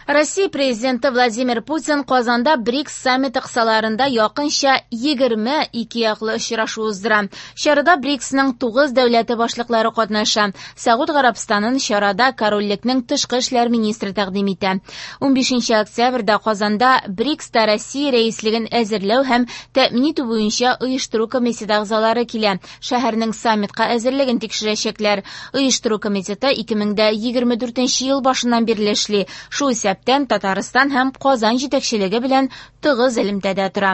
Россия президенты Владимир Путин Казанда БРИКС саммиты кысаларында якынча 20 икеяклы очрашу уздыра. Чарада БРИКСның 9 дәүләте башлыклары катнаша. Сәгуд Гарәбстанын чарада корольлекнең тышкы эшләр министры тәкъдим итә. 15 октябрьдә Казанда БРИКСта Россия рәислеген әзерләү һәм тәэмин итү буенча оештыру комитеты әгъзалары килә. Шәһәрнең саммитка әзерлеген тикшерәчәкләр. Оештыру комитеты 2024 ел башыннан бирле эшли. Шул исәптән Татарстан һәм Казан җитәкчелеге белән тыгыз элемтәдә тора.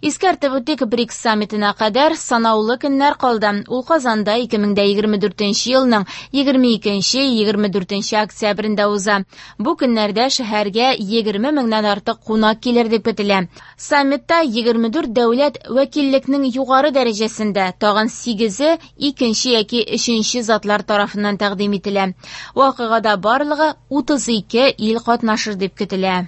Искәртеп үтик, БРИКС саммитына кадәр санаулы көннәр калды. Ул Казанда 2024 елның 22-24 октябрендә уза. Бу көннәрдә шәһәргә 20 меңнән артык кунак килер дип көтелә. Саммитта 24 дәүләт вәкиллекнең югары дәрәҗәсендә, тагын 8-е икенче яки өченче затлар тарафыннан тәкъдим ителә. Вакыйгада барлыгы 32 ил катнашыр дип көтелә.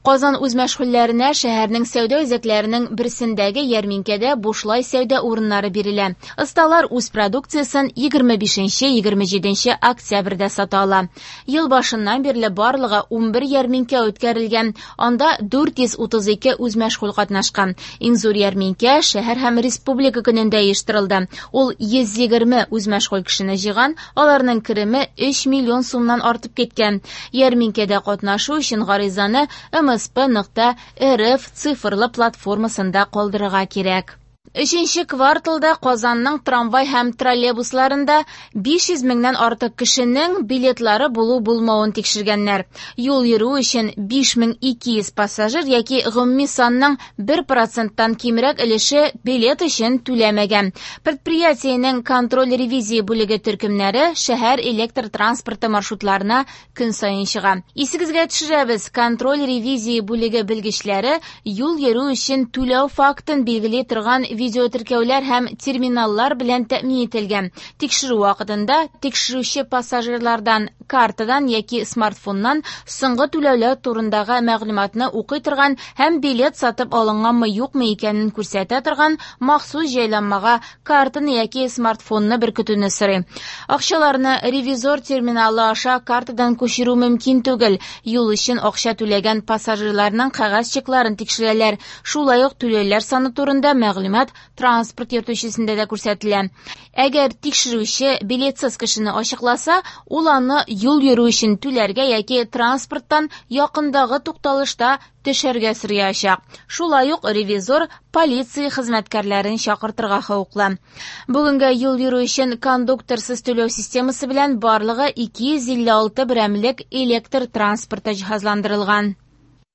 Казан үзмәшгульләренә шәһәрнең сәүдә үзәкләренең берсендәге ярминкәдә бушлай сәүдә урыннары бирелә. Осталар үз продукциясен 25-27 октябрьдә сата ала. Ел башыннан бирле барлыгы 11 ярминкә үткәрелгән. Анда 432 үзмәшгуль катнашкан. Иң зур ярминкә шәһәр һәм республика көнендә оештырылды. Ул 120 үзмәшгуль кешене җыйган, аларның кереме 3 миллион сумнан артып киткән. Ярминкәдә катнашу өчен гаризаны msp.rf цифрлы платформасында калдырырга кирәк. Өченче кварталда Казанның трамвай һәм троллейбусларында 500 меңнән артык кешенең билетлары булу-булмавын тикшергәннәр. Юл йөрү өчен 5200 пассажир яки гомуми санның 1%-тан кимрәк өлеше билет өчен түләмәгән. Предприятиенең контроль-ревизия бүлеге төркемнәре шәһәр электр транспорты маршрутларына көн саен чыга. Исегезгә төшерәбез, контроль-ревизия бүлеге белгечләре юл йөрү өчен түләү фактын билгели торган видеотеркәүләр һәм терминаллар белән тәэмин ителгән. Тикшерү вакытында тикшерүче пассажирлардан картадан яки смартфоннан соңгы түләүләр турындагы мәгълүматны укый торган һәм билет сатып алынганмы юкмы икәнен күрсәтә торган махсус җайланмага картаны яки смартфонны беркетүне сорый. Акчаларны ревизор терминалы аша картадан күчерү мөмкин түгел. Юл өчен акча түләгән пассажирларның кәгазь чекларын тикшерәләр. Шулай ук түләүләр саны турында мәгълүмат транспорт йөртүчесендә дә күрсәтелә. Әгәр тикшерүче билетсыз кешене ачыкласа, ул аны юл йөрү өчен түләргә яки транспорттан якындагы тукталышта төшәргә сораячак. Шулай ук ревизор полиция хезмәткәрләрен чакыртырга хокуклы. Бүгенгә юл йөрү өчен кондукторсыз түләү системасы белән барлыгы 256 берәмлек электр транспорты җиһазландырылган.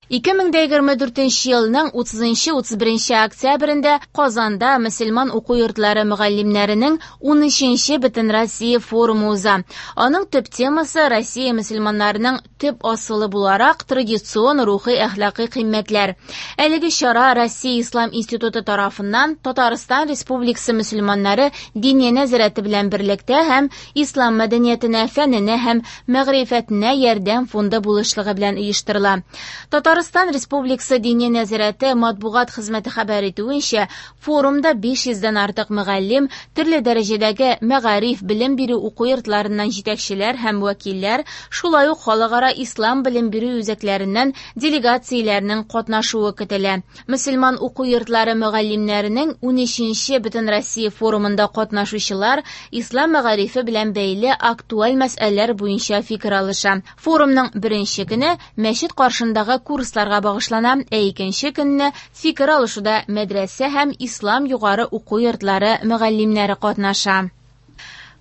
2024 елның 30-31 октябрендә Казанда мөселман уку йортлары мөгаллимнәренең 13-нче Бөтенроссия форумы уза. Аның төп темасы Россия мөселманнарының төп асылы буларак традицион рухи әхлакый кыйммәтләр. Әлеге чара Россия Ислам институты тарафыннан Татарстан Республикасы мөселманнары Диния нәзарәте белән берлектә һәм Ислам мәдәниятенә, фәненә һәм мәгърифәтенә ярдәм фонды булышлыгы белән оештырыла. Татарстан Республикасы Диния нәзарәте матбугат хезмәте хәбәр итүенчә, форумда 500дән артык мөгаллим, төрле дәрәҗәдәге мәгариф, белем бирү уку йортларыннан җитәкчеләр һәм вәкилләр, шулай ук халыкара ислам белем бирү үзәкләреннән делегацияләрнең катнашуы көтелә. Мөселман уку йортлары мөгаллимнәренең 13-нче Бөтенроссия форумында катнашучылар ислам мәгарифе белән бәйле актуаль мәсьәләләр буенча фикер алыша. Форумның беренче көне мәчет каршындагы курсларга багышлана, ә икенче көнне фикер алышуда мәдрәсә һәм ислам югары уку йортлары мөгаллимнәре катнаша.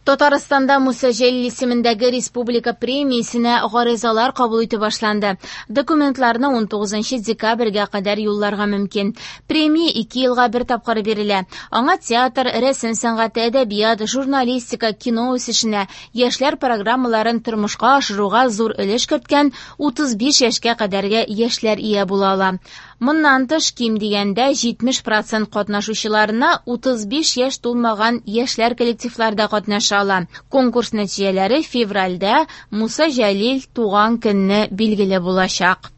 Татарстанда Муса Җәлил исемендәге республика премиясенә гаризалар кабул итү башланды. Документларны 19 декабрьгә кадәр юлларга мөмкин. Премия 2 елга бер тапкыр бирелә. Аңа театр, рәсем сәнгате, әдәбият, журналистика, кино үсешенә, яшьләр программаларын тормышка ашыруга зур өлеш керткән 35 яшькә кадәрге яшьләр ия була ала. Моннан тыш, ким дигәндә 70% катнашучыларына 35 яшь тулмаган яшьләр коллективларда катнаша ала. Конкурс нәтиҗәләре февральдә Муса Җәлил туган көнне билгеле булачак.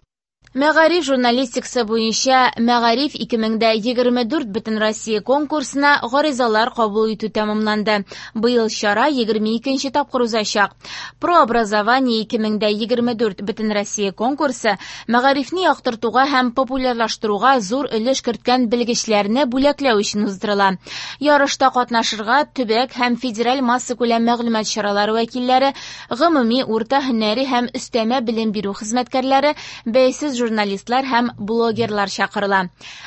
Мәгариф журналистикасы буенча Мәгариф 2024 Бөтенроссия конкурсына гаризалар кабул итү тәмамланды. Быел чара 22 тапкыр узачак. Прообразование 2024 Бөтенроссия конкурсы мәгарифне яктыртуга һәм популярлаштыруга зур өлеш керткән белгечләрне бүләкләү өчен уздырыла. Ярышта катнашырга төбәк һәм федераль массакүләм мәгълүмат чаралары вәкилләре, гомуми урта һөнәри һәм өстәмә белем бирү хезмәткәрләре, бәйсез журналистлар һәм блогерлар чакырыла.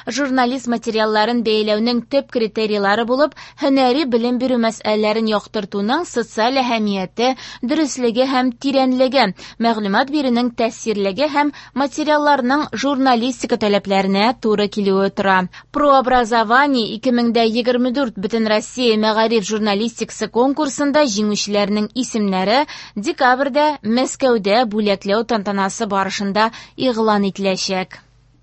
Журналист материалларын бәяләүнең төп критерийлары булып, һөнәри белем бирү мәсьәләләрен яктыртуның социаль әһәмияте, дөреслеге һәм тирәнлеге, мәгълүмат бирүнең тәэсирлеге һәм материалларның журналистика таләпләренә туры килүе тора. Прообразование 2024 Бөтенроссия мәгариф журналистикасы конкурсында җиңүчеләрнең исемнәре декабрьдә Мәскәүдә бүләкләү тантанасы барышында игълан ителәчәк.